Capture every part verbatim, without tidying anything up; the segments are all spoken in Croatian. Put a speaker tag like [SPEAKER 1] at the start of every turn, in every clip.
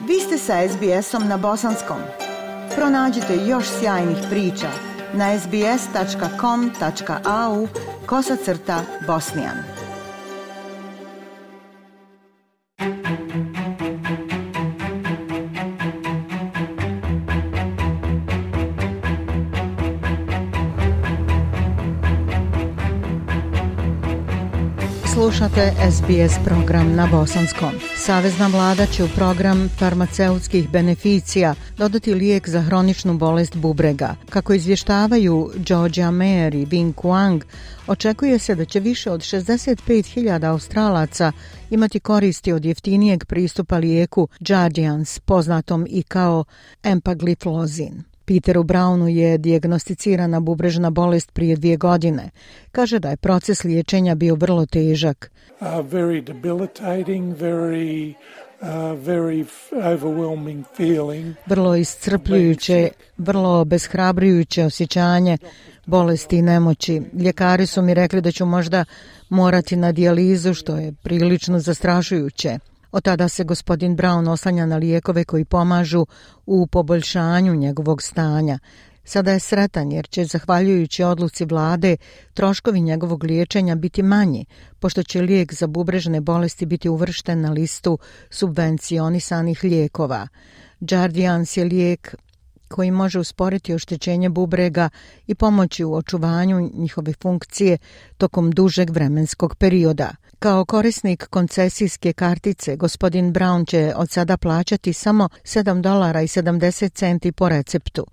[SPEAKER 1] Vi ste sa es be esom na bosanskom. Pronađite još sjajnih priča na es be es tačka com tačka a u kosacrta bosnijan. Slušate es be es program na bosanskom. Savezna vlada će u program farmaceutskih beneficija dodati lijek za hroničnu bolest bubrega. Kako izvještavaju Georgia Mayer i Vinh Quang, očekuje se da će više od šezdeset pet hiljada Australaca imati koristi od jeftinijeg pristupa lijeku Jardiance, poznatom i kao empagliflozin. Peteru Brownu je dijagnosticirana bubrežna bolest prije dvije godine. Kaže da je proces liječenja bio vrlo težak.
[SPEAKER 2] Uh, very debilitating, very, uh, very overwhelming feeling.
[SPEAKER 1] Vrlo iscrpljujuće, vrlo obeshrabrujuće osjećanje bolesti i nemoći. Ljekari su mi rekli da ću možda morati na dijalizu, što je prilično zastrašujuće. Od tada se gospodin Brown oslanja na lijekove koji pomažu u poboljšanju njegovog stanja. Sada je sretan jer će, zahvaljujući odluci vlade, troškovi njegovog liječenja biti manji, pošto će lijek za bubrežne bolesti biti uvršten na listu subvencionisanih lijekova. Jardiance je lijek koji može usporiti oštećenje bubrega i pomoći u očuvanju njihove funkcije tokom dužeg vremenskog perioda. Kao korisnik koncesijske kartice, gospodin Brown će od sada plaćati samo sedam dolara i sedamdeset centi po receptu.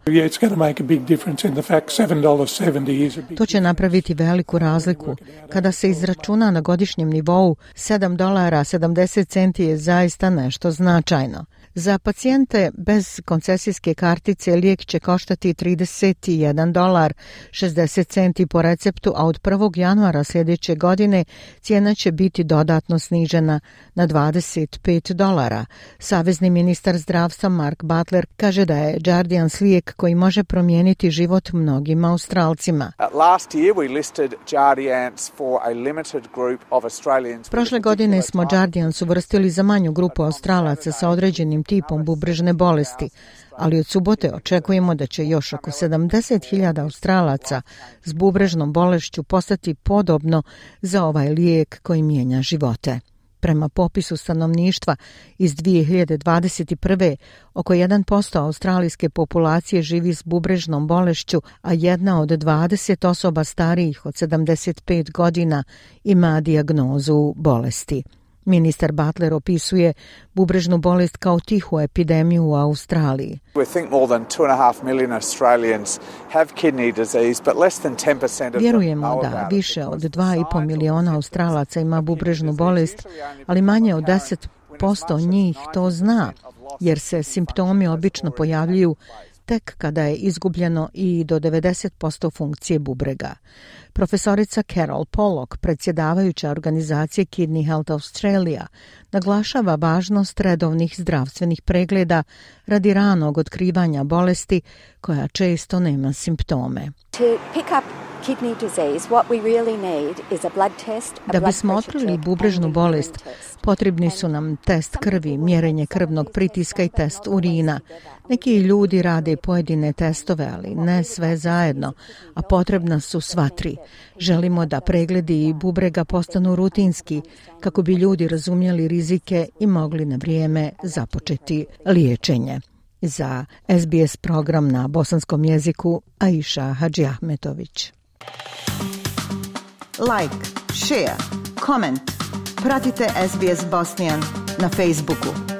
[SPEAKER 1] To će napraviti veliku razliku. Kada se izračuna na godišnjem nivou, sedam dolara sedamdeset centi je zaista nešto značajno. Za pacijente bez koncesijske kartice lijek će koštati trideset jedan dolar šezdeset centi po receptu, a od prvog januara sljedeće godine cijena će biti dodatno snižena na dvadeset pet dolara. Savezni ministar zdravstva Mark Butler kaže da je Jardiance lijek koji može promijeniti život mnogim Australcima. Prošle godine smo Jardiance uvrstili za manju grupu Australaca sa određenim tipom bubrežne bolesti, ali od subote očekujemo da će još oko sedamdeset hiljada Australaca s bubrežnom bolešću postati podobno za ovaj lijek koji mijenja živote. Prema popisu stanovništva iz dvije hiljade dvadeset prve. oko jedan posto australijske populacije živi s bubrežnom bolešću, a jedna od dvadeset osoba starijih od sedamdeset pet godina ima dijagnozu bolesti. Ministar Butler opisuje bubrežnu bolest kao tihu epidemiju u Australiji. Vjerujemo da više od dva i pol miliona Australaca ima bubrežnu bolest, ali manje od deset posto njih to zna, jer se simptomi obično pojavljuju tek kada je izgubljeno i do devedeset posto funkcije bubrega. Profesorica Carol Pollock, predsjedavajuća organizacije Kidney Health Australia, naglašava važnost redovnih zdravstvenih pregleda radi ranog otkrivanja bolesti koja često nema simptome. Da bismo otkrili bubrežnu bolest, potrebni su nam test krvi, mjerenje krvnog pritiska i test urina. Neki ljudi rade pojedine testove, ali ne sve zajedno, a potrebna su sva tri. Želimo da pregledi bubrega postanu rutinski, kako bi ljudi razumjeli rizike i mogli na vrijeme započeti liječenje. Za es be es program na bosanskom jeziku, Aisha Hadžiahmetović. Like, share, comment. Pratite es be es Bosnian na Facebooku.